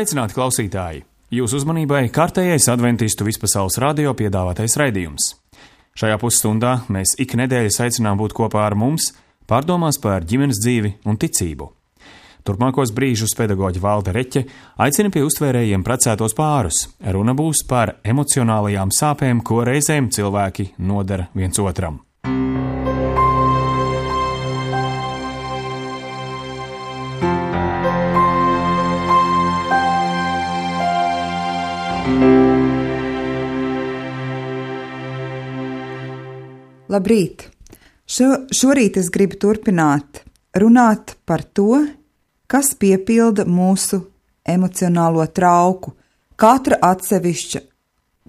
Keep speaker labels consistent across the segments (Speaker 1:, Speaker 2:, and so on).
Speaker 1: Sveicināti klausītāji! Jūsu uzmanībai kārtējais adventistu vispasaules radio piedāvātais raidījums. Šajā pusstundā mēs ik nedēļas aicinām būt kopā ar mums, pārdomās par ģimenes dzīvi un ticību. Turpmākos brīžus pedagoģe Valde Reķe aicina pie uztvērējiem precētos pārus. Runa būs par emocionālajām sāpēm, ko reizēm cilvēki nodara viens otram.
Speaker 2: Labrīt! Šorīt es gribu turpināt runāt par to, kas piepilda mūsu emocionālo trauku, katra atsevišķa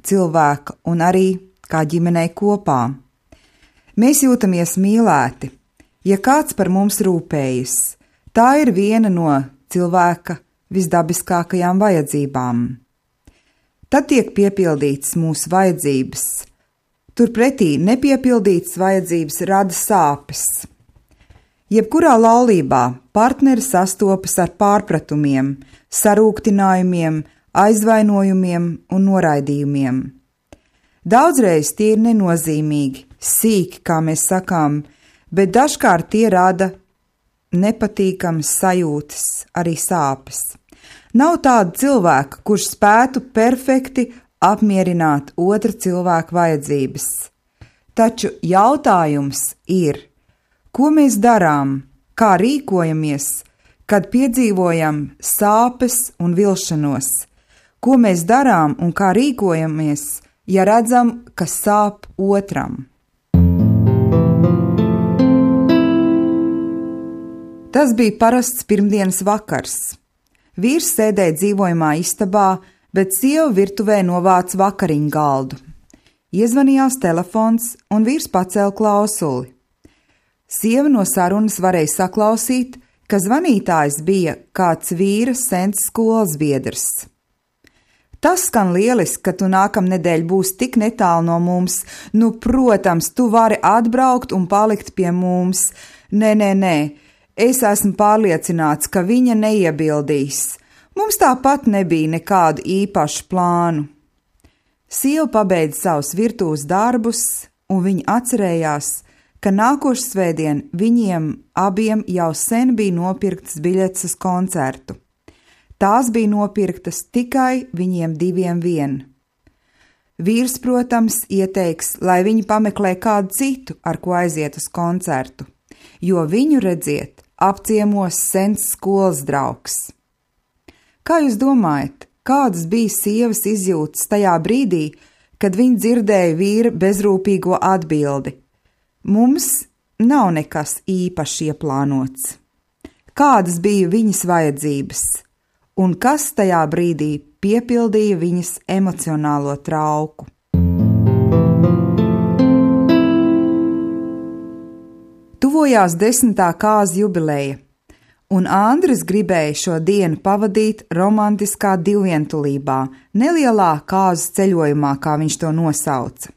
Speaker 2: cilvēka un arī kā ģimenei kopā. Mēs jūtamies mīlēti, ja kāds par mums rūpējas. Tā ir viena no cilvēka visdabiskākajām vajadzībām. Tad tiek piepildītas mūsu vajadzības. Turpretī nepiepildītas vajadzības rada sāpes. Jebkurā laulībā partneri sastopas ar pārpratumiem, sarūktinājumiem, aizvainojumiem un noraidījumiem. Daudzreiz tie ir nenozīmīgi, sīki, kā mēs sakām, bet dažkārt tie rada nepatīkamas sajūtas, arī sāpes. Nav tāda cilvēka, kurš spētu perfekti apmierināt otra cilvēka vajadzības. Taču jautājums ir, ko mēs darām, kā rīkojamies, kad piedzīvojam sāpes un vilšanos? Ko mēs darām un kā rīkojamies, ja redzam, ka sāp otram? Tas bija parasts pirmdienas vakars. Vīrs sēdēja dzīvojamā istabā, bet sieva virtuvē novāca vakariņu galdu. Iezvanījās telefons, un vīrs pacēla klausuli. Sieva no sarunas varēja saklausīt, ka zvanītājs bija kāds vīra sens skolas biedrs. Tas skan lieliski, ka tu nākamnedēļ būsi tik netālu no mums. Nu, protams, tu vari atbraukt un palikt pie mums. Nē. Es esmu pārliecināts, ka viņa neiebildīs. Mums tāpat nebija nekādu īpašu plānu. Sieva pabeidza savus virtuves darbus, un viņa atcerējās, ka nākošais svētdien viņiem abiem jau sen bija nopirktas biļetes uz koncertu. Tās bija nopirktas tikai viņiem diviem vien. Vīrs, protams, ieteiks, lai viņi pameklē kādu citu, ar ko aiziet uz koncertu, jo viņu, redziet, apciemos sens skolas draugs. Kā jūs domājat, kādas bija sievas izjūtas tajā brīdī, kad viņa dzirdēja vīra bezrūpīgo atbildi? Mums nav nekas īpaši ieplānots. Kādas bija viņas vajadzības, un kas tajā brīdī piepildīja viņas emocionālo trauku? Tuvojās 10. kāzu jubileja, un Andris gribēja šo dienu pavadīt romantiskā divvientulībā, nelielā kāzu ceļojumā, kā viņš to nosauca.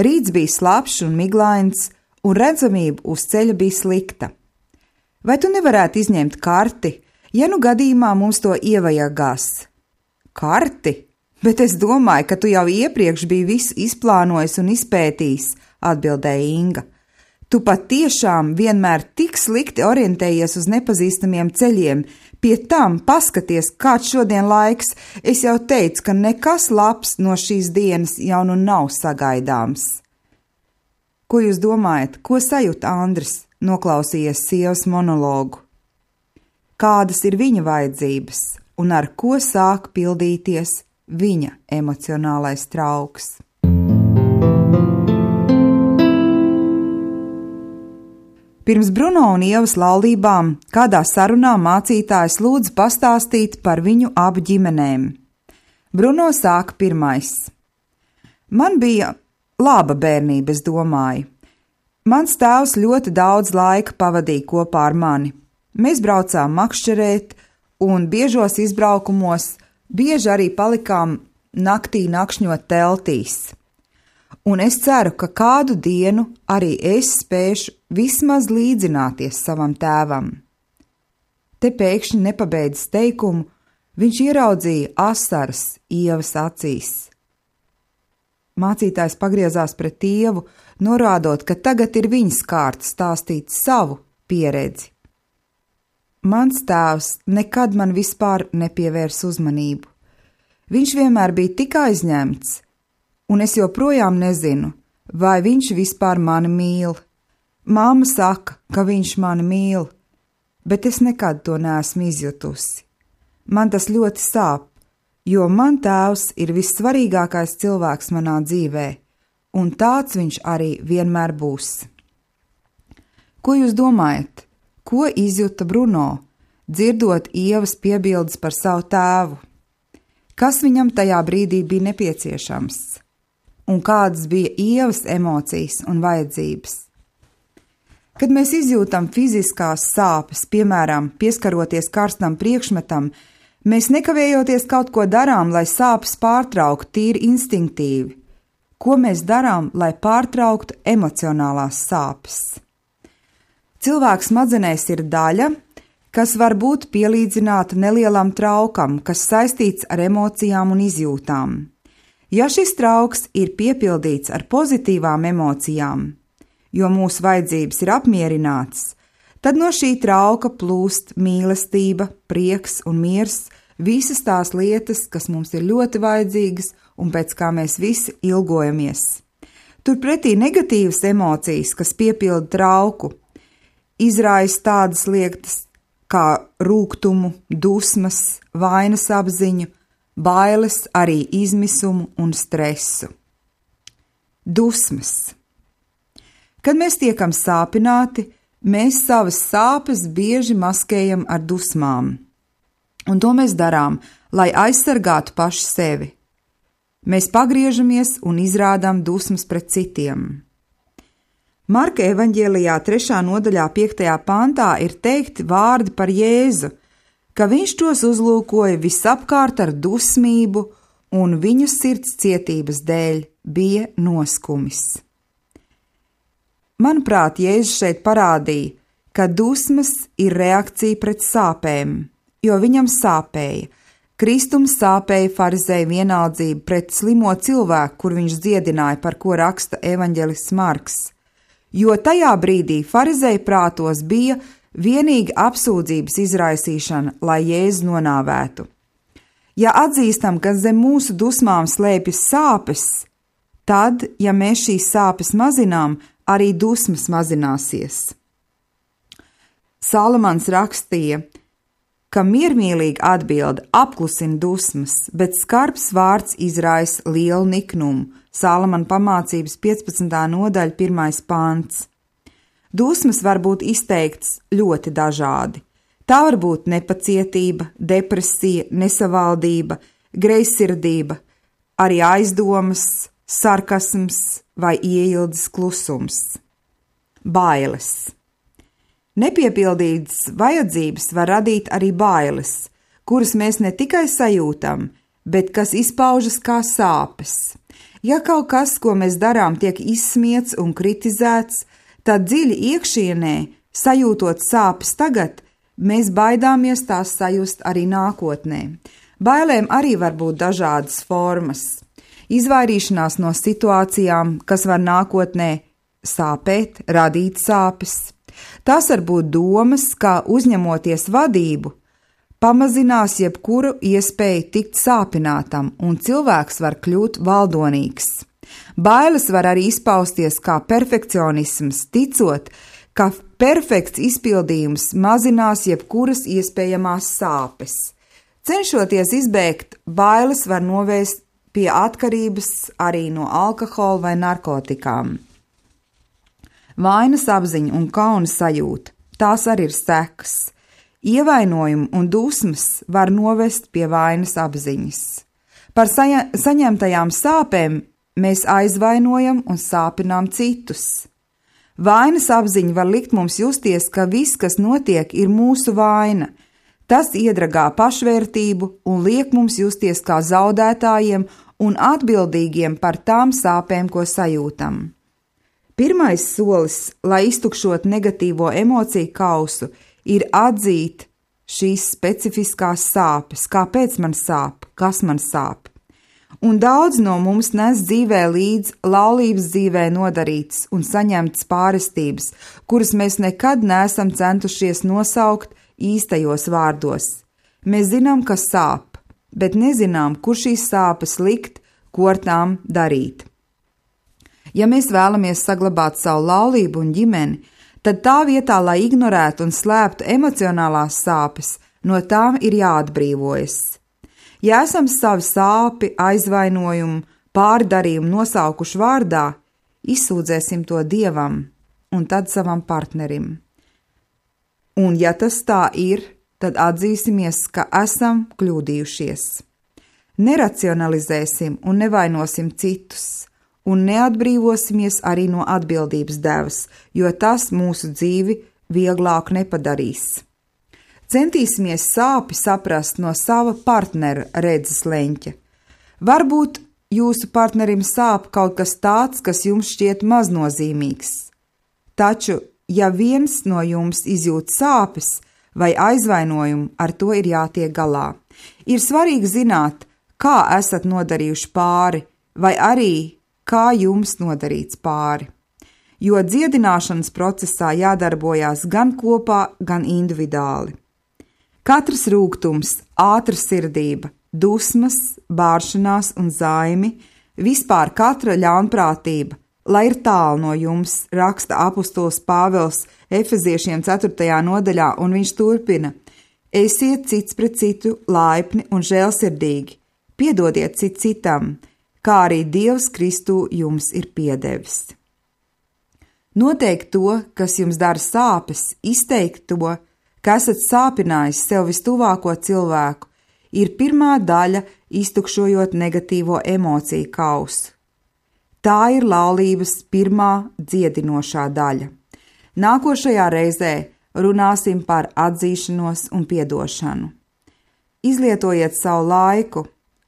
Speaker 2: Rīts bija slapjš un miglains, un redzamība uz ceļa bija slikta. Vai tu nevarētu izņemt karti, ja nu gadījumā mums to ievajagās? Karti? Bet es domāju, ka tu jau iepriekš biji visu izplānojis un izpētījis, atbildēja Inga. Tu pat tiešām vienmēr tik slikti orientējies uz nepazīstamiem ceļiem. Pie tam paskaties, kāds šodien laiks. Es jau teicu, ka nekas labs no šīs dienas jau nu nav sagaidāms. Ko jūs domājat, ko sajūt Andris, noklausījies sievas monologu? Kādas ir viņa vajadzības un ar ko sāk pildīties viņa emocionālais trauks? Pirms Bruno un Ievas laulībām kādā sarunā mācītājs lūdza pastāstīt par viņu abu ģimenēm. Bruno sāka pirmais. Man bija laba bērnība, es domāju. Mans tēvs ļoti daudz laika pavadīja kopā ar mani. Mēs braucām makšķerēt un biežos izbraukumos, bieži arī palikām naktī nakšņot teltīs. Un es ceru, ka kādu dienu arī es spēšu vismaz līdzināties savam tēvam. Te pēkšņi nepabeidz teikumu, Viņš ieraudzīja asaras Ievas acīs. Mācītājs pagriezās pret Ievu, norādot, ka tagad ir viņas kārta stāstīt savu pieredzi. Mans tēvs nekad man vispār nepievērs uzmanību. Viņš vienmēr bija tik aizņemts, un es joprojām nezinu, vai viņš vispār mani mīl. Māma saka, ka viņš mani mīl, bet es nekad to neesmu izjutusi. Man tas ļoti sāp, jo man tēvs ir vissvarīgākais cilvēks manā dzīvē, un tāds viņš arī vienmēr būs. Ko jūs domājat? Ko izjuta Bruno, dzirdot Ievas piebildes par savu tēvu? Kas viņam tajā brīdī bija nepieciešams? Un kādas bija Ievas emocijas un vajadzības? Kad mēs izjūtam fiziskās sāpes, piemēram, pieskaroties karstam priekšmetam, mēs nekavējoties kaut ko darām, lai sāpes pārtrauktu tīri instinktīvi. Ko mēs darām, lai pārtrauktu emocionālās sāpes? Cilvēks smadzenēs ir daļa, kas var būt pielīdzināta nelielam traukam, kas saistīts ar emocijām un izjūtām. Ja šis trauks ir piepildīts ar pozitīvām emocijām, jo mūsu vajadzības ir apmierinātas, tad no šī trauka plūst mīlestība, prieks un miers, visas tās lietas, kas mums ir ļoti vajadzīgas un pēc kā mēs visi ilgojamies. Turpretī negatīvas emocijas, kas piepilda trauku, izraisa tādas lietas kā rūgtumu, dusmas, vainas apziņu, bailes, arī izmisumu un stresu. Dusmas. Kad mēs tiekam sāpināti, mēs savas sāpes bieži maskējam ar dusmām. Un to mēs darām, lai aizsargātu paši sevi. Mēs pagriežamies un izrādām dusmas pret citiem. Marka evaņģēlijā 3. nodaļā 5. pantā ir teikti vārdi par Jēzu, ka viņš tos uzlūkoja visapkārt ar dusmību un viņu sirds cietības dēļ bija noskumis. Manuprāt, Jēzus šeit parādīja, ka dusmas ir reakcija pret sāpēm, jo viņam sāpēja. Kristum sāpēja farizēju vienaldzību pret slimo cilvēku, kur viņš dziedināja, par ko raksta evaņģelists Marks, jo tajā brīdī farizēju prātos bija vienīgi apsūdzības izraisīšana, lai Jēzu nonāvētu. Ja atzīstam, ka zem mūsu dusmām slēpjas sāpes, tad, ja mēs šīs sāpes mazinām, arī dusmas mazināsies. Salamans rakstīja, ka miermīlīga atbilde apklusina dusmas, bet skarbs vārds izraisa lielu niknumu. Salamana pamācības 15. nodaļa 1. pants. Dusmas var būt izteiktas ļoti dažādi. Tā var būt nepacietība, depresija, nesavaldība, greizsirdība, arī aizdomas, sarkasms vai ieildes klusums. Bailes. Nepiepildītas vajadzības var radīt arī bailes, kuras mēs ne tikai sajūtam, bet kas izpaužas kā sāpes. Ja kaut kas, ko mēs darām, tiek izsmiets un kritizēts, tad dziļi iekšienē, sajūtot sāpes tagad, mēs baidāmies tās sajust arī nākotnē. Bailēm arī var būt dažādas formas. Izvairīšanās no situācijām, kas var nākotnē sāpēt, radīt sāpes. Tās var būt domas, kā uzņemoties vadību, pamazinās jebkuru iespēju tikt sāpinātam, un cilvēks var kļūt valdonīgs. Bailes var arī izpausties kā perfekcionisms, ticot, ka perfekts izpildījums mazinās jebkuras iespējamās sāpes. Cenšoties izbēgt, bailes var novest pie atkarības arī no alkohola vai narkotikām. Vainas apziņa un kauna sajūta, tās arī ir sekas. Ievainojumi un dusmas var novest pie vainas apziņas. Par saņemtajām sāpēm mēs aizvainojam un sāpinām citus. Vainas apziņa var likt mums justies, ka viss, kas notiek, ir mūsu vaina. Tas iedragā pašvērtību un liek mums justies kā zaudētājiem un atbildīgiem par tām sāpēm, ko sajūtam. Pirmais solis, lai iztukšot negatīvo emociju kausu, ir atzīt šīs specifiskās sāpes, kāpēc man sāp, kas man sāp. Un daudz no mums nes dzīvē līdz laulības dzīvē nodarītas un saņemtas pārestības, kuras mēs nekad neesam centušies nosaukt īstajos vārdos. Mēs zinām, ka sāp, bet nezinām, kur šīs sāpes likt, ko ar tām darīt. Ja mēs vēlamies saglabāt savu laulību un ģimeni, tad tā vietā, lai ignorētu un slēptu emocionālās sāpes, no tām ir jāatbrīvojas. Ja esam savu sāpi, aizvainojumu, pārdarījumu nosaukuši vārdā, izsūdzēsim to Dievam un tad savam partnerim. Un ja tas tā ir, tad atzīsimies, ka esam kļūdījušies. Neracionalizēsim un nevainosim citus, un neatbrīvosimies arī no atbildības devas, jo tas mūsu dzīvi vieglāk nepadarīs. Centīsimies sāpi saprast no sava partnera redzes leņķa. Varbūt jūsu partnerim sāp kaut kas tāds, kas jums šķiet maznozīmīgs. Taču, ja viens no jums izjūt sāpes vai aizvainojumu, ar to ir jātiek galā. Ir svarīgi zināt, kā esat nodarījuši pāri, vai arī kā jums nodarīts pāri. Jo dziedināšanas procesā jādarbojās gan kopā, gan individuāli. Katrs rūgtums, ātra sirdība, dusmas, bāršanās un zaimi, vispār katra ļaunprātība, lai ir tālu no jums, raksta apustulis Pāvils Efeziešiem 4. nodaļā, un viņš turpina: Esiet cits pret citu laipni un žēlsirdīgi, piedodiet citam, kā arī Dievs Kristū jums ir piedevis. Noteikt to, kas jums dara sāpes, izteikt to, ka esat sāpinājis sev vistuvāko cilvēku, ir pirmā daļa, iztukšojot negatīvo emociju kausu. Tā ir laulības pirmā dziedinošā daļa. Nākošajā reizē runāsim par atzīšanos un piedošanu. Izlietojiet savu laiku,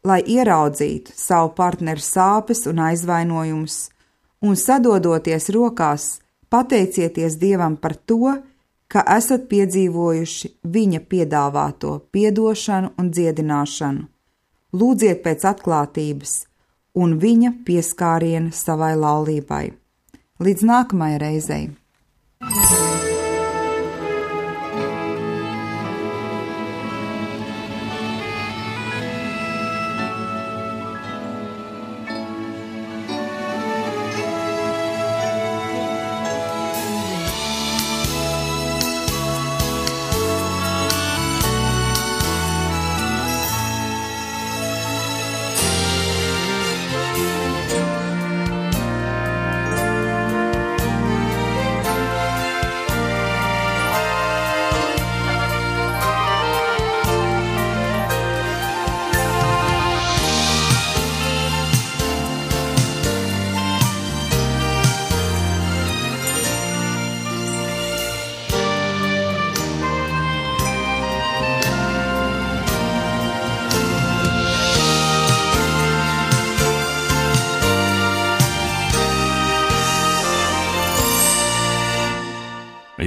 Speaker 2: lai ieraudzītu savu partneru sāpes un aizvainojumus, un sadodoties rokās, pateicieties Dievam par to, ka esat piedzīvojuši viņa piedāvāto piedošanu un dziedināšanu. Lūdziet pēc atklātības un viņa pieskāriena savai laulībai. Līdz nākamajai reizei!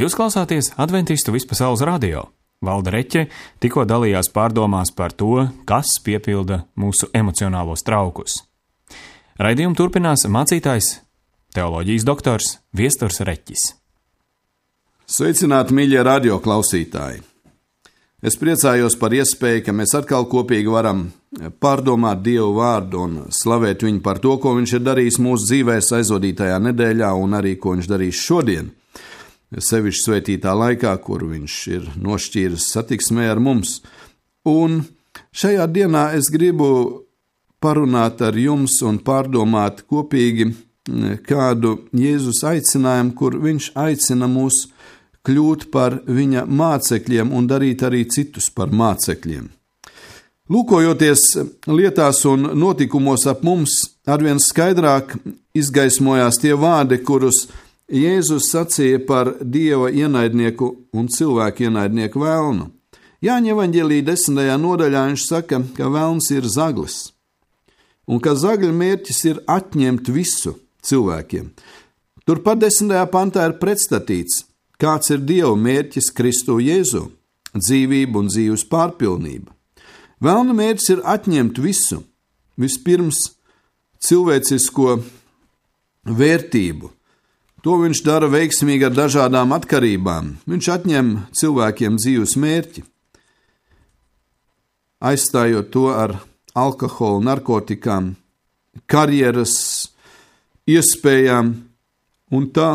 Speaker 1: Jūs klausāties Adventistu vispasaules radio. Valda Reķe tikko dalījās pārdomās par to, kas piepilda mūsu emocionālos traukus. Raidījumu turpinās mācītājs, teoloģijas doktors Viesturs Reķis.
Speaker 3: Sveicināti, mīļie radio klausītāji! Es priecājos par iespēju, ka mēs atkal kopīgi varam pārdomāt Dievu vārdu un slavēt viņu par to, ko viņš ir darījis mūsu dzīvēs aizvadītajā nedēļā un arī, ko viņš darīs šodien. Sevišķi svētītā laikā, kur viņš ir nošķīris satiksmē ar mums. Un šajā dienā es gribu parunāt ar jums un pārdomāt kopīgi kādu Jēzus aicinājumu, kur viņš aicina mūs kļūt par viņa mācekļiem un darīt arī citus par mācekļiem. Lūkojoties lietās un notikumos ap mums, arvien skaidrāk izgaismojās tie vārdi, kurus Jēzus sacīja par Dieva ienaidnieku un cilvēku ienaidnieku velnu. Jāņa evaņģēlija 10. nodaļā viņš saka, ka velns ir zaglis, un ka zagļa mērķis ir atņemt visu cilvēkiem. Turpat 10. pantā ir pretstatīts, kāds ir Dieva mērķis Kristu Jēzu. dzīvība un dzīves pārpilnība. Velna mērķis ir atņemt visu, vispirms cilvēcisko vērtību. To viņš dara veiksmīgi ar dažādām atkarībām. Viņš atņem cilvēkiem dzīves mērķi, aizstājot to ar alkoholu, narkotikām, karjeras iespējām, un tā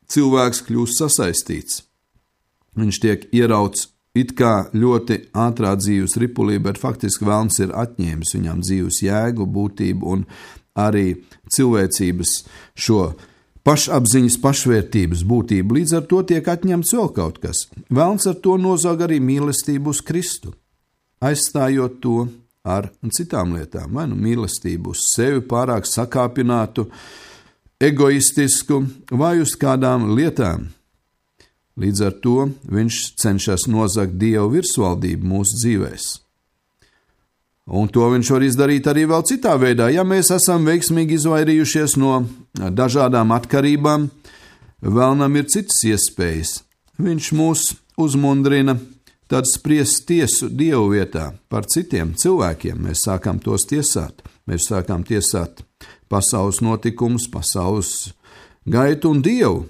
Speaker 3: cilvēks kļūst sasaistīts. Viņš tiek ierauts it kā ļoti ātrā dzīves ripulī, bet faktiski velns ir atņēmis viņam dzīves jēgu, būtību un arī cilvēcības šo pašapziņas, pašvērtības būtību. Līdz ar to tiek atņemts vēl kaut kas. Velns ar to nozag arī mīlestību uz Kristu, aizstājot to ar citām lietām, vai nu mīlestību uz sevi pārāk sakāpinātu, egoistisku vai uz kādām lietām. Līdz ar to viņš cenšas nozagt Dievu virsvaldību mūsu dzīvēs. Un to viņš var izdarīt arī vēl citā veidā. Ja mēs esam veiksmīgi izvairījušies no dažādām atkarībām, vēlnam ir citas iespējas. Viņš mūs uzmundrina tad spriest tiesu Dievu vietā par citiem cilvēkiem. Mēs sākam tos tiesāt. Mēs sākam tiesāt pasaules notikumus, pasaules gaitu un Dievu.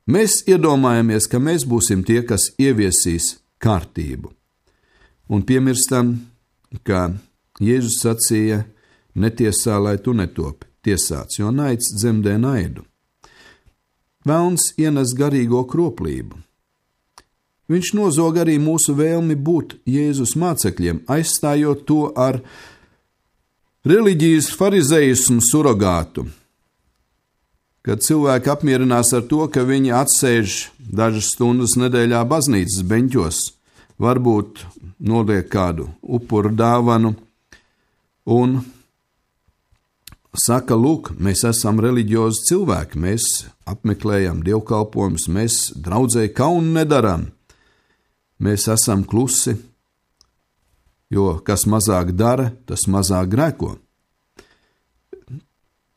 Speaker 3: Mēs iedomājamies, ka mēs būsim tie, kas ieviesīs kārtību. Un piemirstam, ka Jēzus sacīja, netiesā, lai tu netopi tiesāts, jo naids dzemdē naidu. Velns ienes garīgo kroplību. Viņš nozog arī mūsu vēlmi būt Jēzus mācekļiem, aizstājot to ar reliģijas farizejismu surogātu, kad cilvēki apmierinās ar to, ka viņi atsēž dažas stundas nedēļā baznīcas beņķos, varbūt noliek kādu upuru dāvanu un saka, lūk, mēs esam reliģiozi cilvēki, mēs apmeklējam dievkalpojumus, mēs draudzē kaunu nedaram, mēs esam klusi, jo kas mazāk dara, tas mazāk grēko.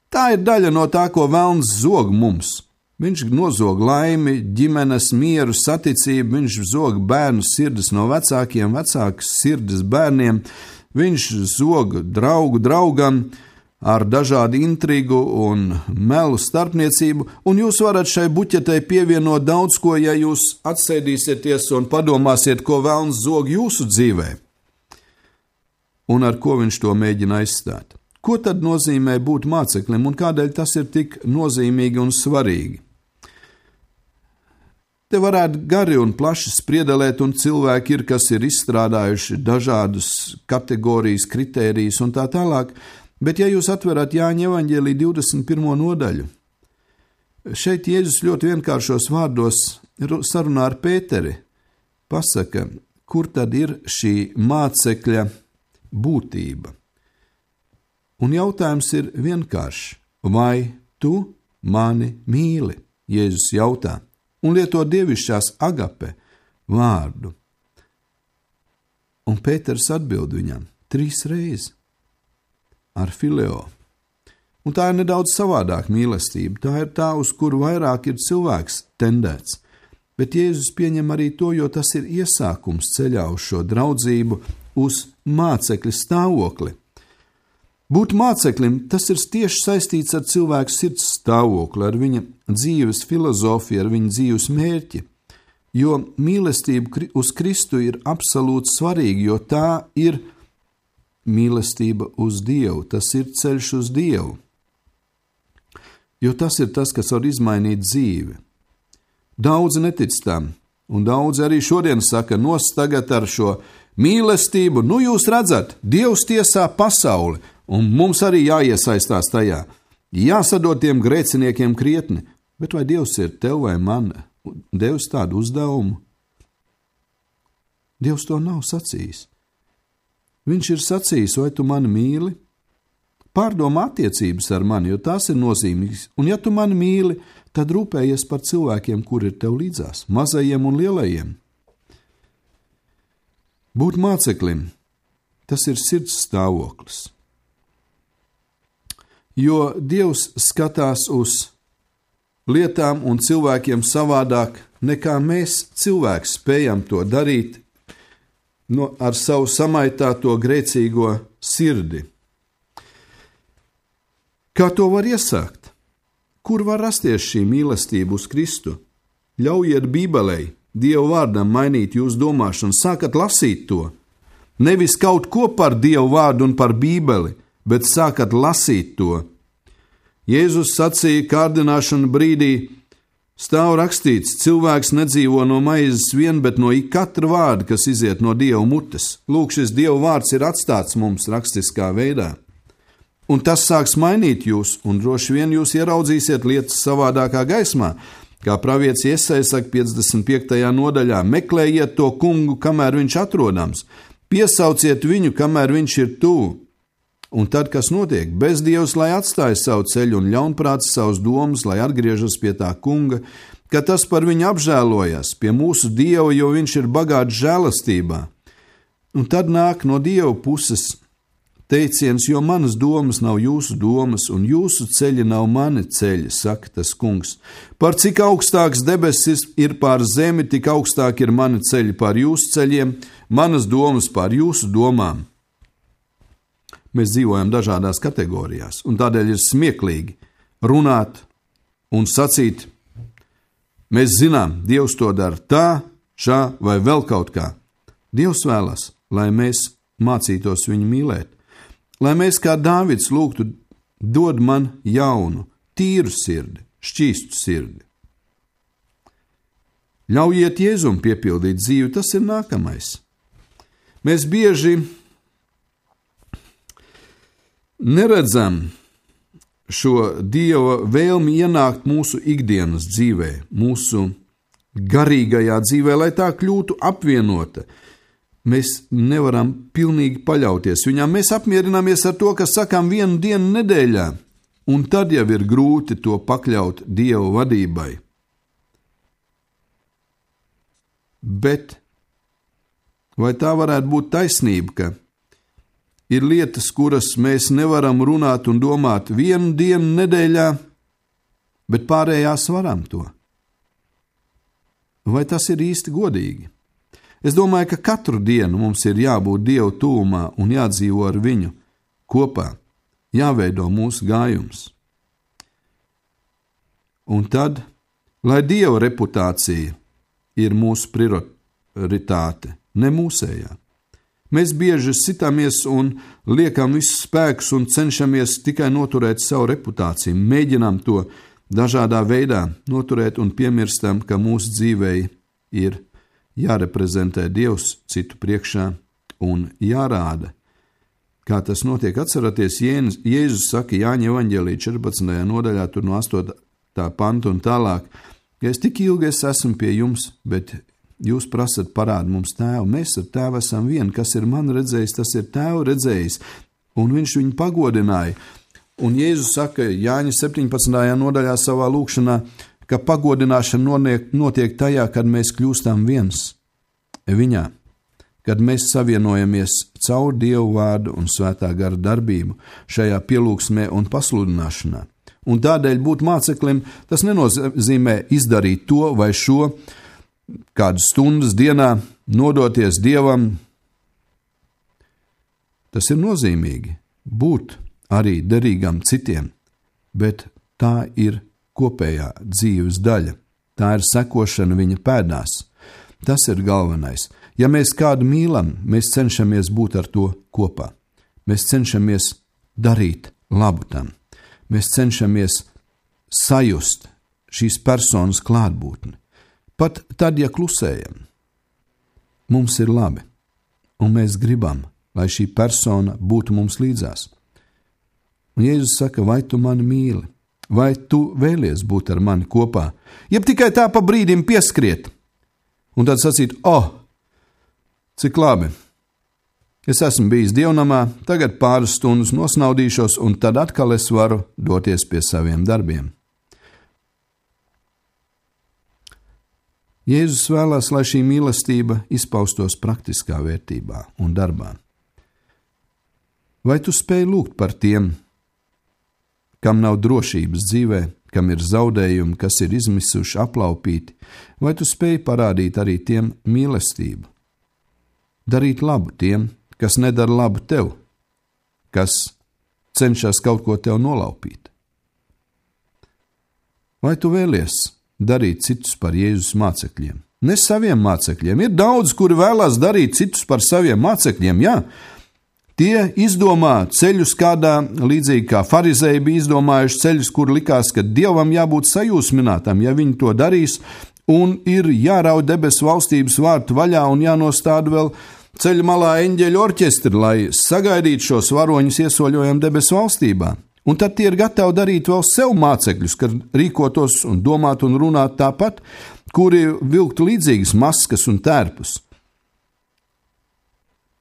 Speaker 3: Tā ir daļa no tā, ko velns zog mums. Viņš nozog laimi, ģimenes mieru, saticību, viņš zog bērnu sirdis no vecākiem, vecākas sirdis bērniem, viņš zog draugu draugam ar dažādu intrigu un melu starpniecību, un jūs varat šai buķetei pievienot daudz ko, ja jūs atsēdīsieties un padomāsiet, ko velns zog jūsu dzīvē, un ar ko viņš to mēģina aizstāt. Ko tad nozīmē būt māceklim un kādēļ tas ir tik nozīmīgi un svarīgi? Te varētu gari un plaši spriedelēt, un cilvēki ir, kas ir izstrādājuši dažādus kategorijas, kritērijus un tā tālāk, bet ja jūs atverat Jāņa evaņģēlija 21. nodaļu, šeit Jēzus ļoti vienkāršos vārdos sarunā ar Pēteri, pasaka, kur tad ir šī mācekļa būtība. Un jautājums ir vienkāršs. Vai tu mani mīli? Jēzus jautā un lieto dievišķās agape vārdu. Un Pēters atbild viņam 3 reizes ar fileo. Un tā ir nedaudz savādāk mīlestība. Tā ir tā, uz kuru vairāk ir cilvēks tendēts. Bet Jēzus pieņem arī to, jo tas ir iesākums ceļā uz šo draudzību, uz mācekļa stāvokli. Būt māceklim, tas ir tieši saistīts ar cilvēku sirds stāvokli, ar viņa dzīves filozofiju, ar viņa dzīves mērķi, jo mīlestība uz Kristu ir absolūti svarīga, jo tā ir mīlestība uz Dievu, tas ir ceļš uz Dievu, jo tas ir tas, kas var izmainīt dzīvi. Daudzi netic tam, un daudzi arī šodien saka, nos tagad ar šo mīlestību, nu jūs redzat, Dievs tiesā pasauli, un mums arī jāiesaistās tajā. Jāsadod tiem grēciniekiem krietni, bet vai Dievs ir tev vai man devis tādu uzdevumu? Dievs to nav sacījis. Viņš ir sacījis, vai tu mani mīli? Pārdomā attiecības ar mani, jo tās ir nozīmīgas, un ja tu mani mīli, tad rūpējies par cilvēkiem, kur ir tev līdzās, mazajiem un lielajiem. Būt māceklim, tas ir sirds stāvoklis. Jo Dievs skatās uz lietām un cilvēkiem savādāk nekā mēs cilvēki spējam to darīt ar savu samaitāto grēcīgo sirdi. Kā to var iesākt? Kur var rasties šī mīlestība uz Kristu? Ļaujiet Bībelei, Dieva vārdam mainīt jūsu domāšanu, sākat lasīt to. Nevis kaut ko par Dievu vārdu un par Bībeli, bet sākat lasīt to. Jēzus sacīja kārdināšanu brīdī, stāv rakstīts, cilvēks nedzīvo no maizes vien, bet no katra vārda, kas iziet no Dieva mutes. Lūk, šis Dieva vārds ir atstāts mums rakstiskā veidā. Un tas sāks mainīt jūs, un droši vien jūs ieraudzīsiet lietas savādākā gaismā. Kā pravietis Jesaja saka 55. nodaļā, meklējiet to kungu, kamēr viņš atrodams, piesauciet viņu, kamēr viņš ir tuvu. Un tad, kas notiek? Bezdievs, lai atstāja savu ceļu un ļaunprāts savus domas, lai atgriežas pie tā kunga, ka tas par viņu apžēlojas, pie mūsu Dieva, jo viņš ir bagāts žēlastībā. Un tad nāk no Dieva puses teiciens, jo manas domas nav jūsu domas, un jūsu ceļi nav mani ceļi, saka tas kungs. Par cik augstāks debesis ir pār zemi, tik augstāk ir mani ceļi pār jūsu ceļiem, manas domas pār jūsu domām. Mēs dzīvojam dažādās kategorijās, un tādēļ ir smieklīgi runāt un sacīt, mēs zinām, Dievs to dara tā, šā vai vēl kaut kā. Dievs vēlas, lai mēs mācītos viņu mīlēt. Lai mēs kā Dāvids lūgtu, dod man jaunu, tīru sirdi, šķīstu sirdi. Ļaujiet Jēzum piepildīt dzīvi, tas ir nākamais. Mēs bieži neredzam šo Dieva vēlmi ienākt mūsu ikdienas dzīvē, mūsu garīgajā dzīvē, lai tā kļūtu apvienota. Mēs nevaram pilnīgi paļauties viņam. Mēs apmierināmies ar to, ka sakām vienu dienu nedēļā, un tad jau ir grūti to pakļaut Dieva vadībai. Bet vai tā varētu būt taisnība, ka ir lietas, kuras mēs nevaram runāt un domāt vienu dienu nedēļā, bet pārējās varam to? Vai tas ir īsti godīgi? Es domāju, ka katru dienu mums ir jābūt Dieva tuvumā un jādzīvo ar viņu kopā, jāveido mūsu gājums. Un tad, lai Dieva reputācija ir mūsu prioritāte, ne mūsējā. Mēs bieži sitamies un liekam visus spēkus un cenšamies tikai noturēt savu reputāciju, mēģinām to dažādā veidā noturēt un piemirstam, ka mūsu dzīvei ir jāreprezentē Dievs citu priekšā un jārāda. Kā tas notiek, atceraties, Jēzus saka Jāņa evaņģēlī 14. nodaļā, tur no 8. panta un tālāk, ka es tik ilgi esmu pie jums, bet jūs prasat parādu mums tēvu. Mēs ar tēvu esam vieni, kas ir man redzējis, tas ir tēvu redzējis, un viņš viņu pagodināja. Un Jēzus saka Jāņa 17. nodaļā savā lūkšanā, ka pagodināšana notiek tajā, kad mēs kļūstam viens viņā, kad mēs savienojamies caur Dievu vārdu un svētā gara darbību šajā pielūgsmē un pasludināšanā. Un tādēļ būt māceklim, tas nenozīmē izdarīt to vai šo, kādas stundas dienā nodoties Dievam. Tas ir nozīmīgi būt arī derīgam citiem, bet tā ir kopējā dzīves daļa. Tā ir sekošana viņa pēdās. Tas ir galvenais. Ja mēs kādu mīlam, mēs cenšamies būt ar to kopā. Mēs cenšamies darīt labu tam. Mēs cenšamies sajust šīs personas klātbūtni. Pat tad, ja klusējam, mums ir labi, un mēs gribam, lai šī persona būtu mums līdzās. Un Jēzus saka, vai tu mani mīli? Vai tu vēlies būt ar mani kopā? Jeb tikai tā pa brīdim pieskriet, un tad sacīt, cik labi, es esmu bijis dievnamā, tagad pāris stundas nosnaudīšos, un tad atkal es varu doties pie saviem darbiem. Jēzus vēlās, lai šī mīlestība izpaustos praktiskā vērtībā un darbā. Vai tu spēj lūgt par tiem, kam nav drošības dzīvē, kam ir zaudējumi, kas ir izmisuši, aplaupīti, vai tu spēj parādīt arī tiem mīlestību? Darīt labu tiem, kas nedara labu tev, kas cenšas kaut ko tev nolaupīt. Vai tu vēlies darīt citus par Jēzus mācekļiem? Ne saviem mācekļiem. Ir daudz, kuri vēlās darīt citus par saviem mācekļiem, jā. Tie izdomā ceļus kādā, līdzīgi kā farizēji bija izdomājuši ceļus, kur likās, ka Dievam jābūt sajūsminātam, ja viņi to darīs, un ir jārauj debesu valstības vārtu vaļā un jānostāda vēl ceļa malā eņģeļu orķestri, lai sagaidītu šos varoņus iesoļojam debesu valstībā. Un tad tie ir gatavi darīt vēl sev mācekļus, kad rīkotos un domāt un runāt tāpat, kuri vilktu līdzīgas maskas un tērpus.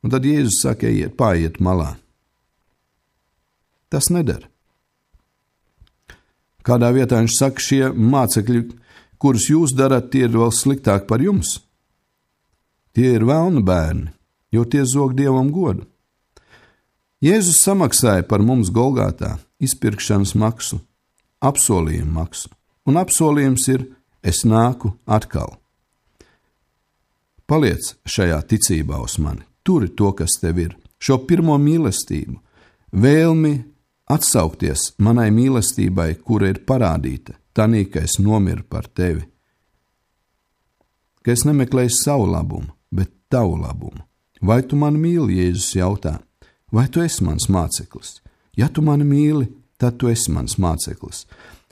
Speaker 3: Un tad Jēzus saka, pāriet malā. Tas nedara. Kādā vietā viņš saka, šie mācekļi, kurus jūs darat, tie ir vēl sliktāk par jums. Tie ir velna bērni, jo tie zog Dievam godu. Jēzus samaksāja par mums Golgātā izpirkšanas maksu, apsolījumu maksu, un apsolījums ir, es nāku atkal. Paliec šajā ticībā uz mani, turi to, kas tev ir, šo pirmo mīlestību, vēlmi atsaukties manai mīlestībai, kura ir parādīta, tanī, ka es nomiru par tevi, ka es nemeklēju savu labumu, bet tavu labumu. Vai tu mani mīli, Jēzus jautā, vai tu esi mans māceklis? Ja tu mani mīli, tad tu esi mans māceklis.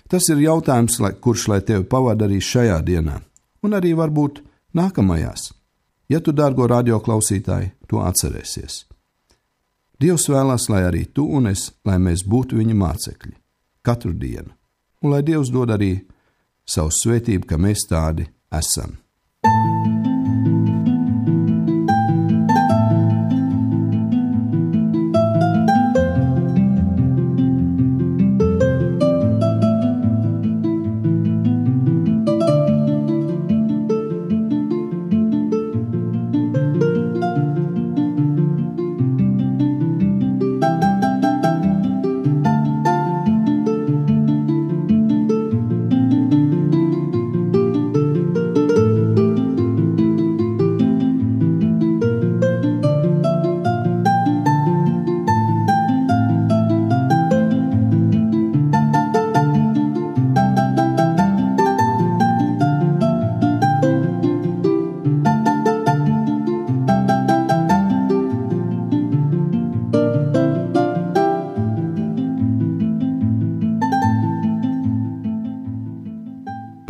Speaker 3: Tas ir jautājums, kurš lai tevi pavada arī šajā dienā, un arī varbūt nākamajās, ja tu, dārgo radioklausītāji, to atcerēsies. Dievs vēlās, lai arī tu un es, lai mēs būtu viņa mācekļi, katru dienu, un lai Dievs dod arī savu svētību, ka mēs tādi esam.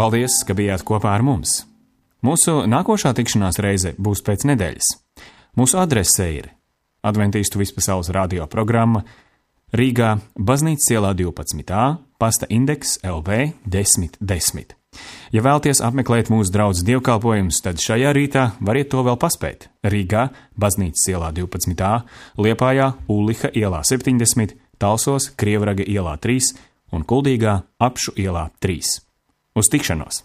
Speaker 1: Paldies, ka bijāt kopā ar mums. Mūsu nākošā tikšanās reize būs pēc nedēļas. Mūsu adrese ir Adventīstu vispasaules radio programma Rīgā, Baznīcas ielā 12a, pasta indeks LV 1010. Ja vēlaties apmeklēt mūsu draudzes dievkalpojumus, tad šajā rītā variet to vēl paspēt. Rīgā, Baznīcas ielā 12a, Liepājā, Ulliha ielā 70, Talsos, Krievraga ielā 3 un Kuldīgā, Apšu ielā 3. Uz tikšanos!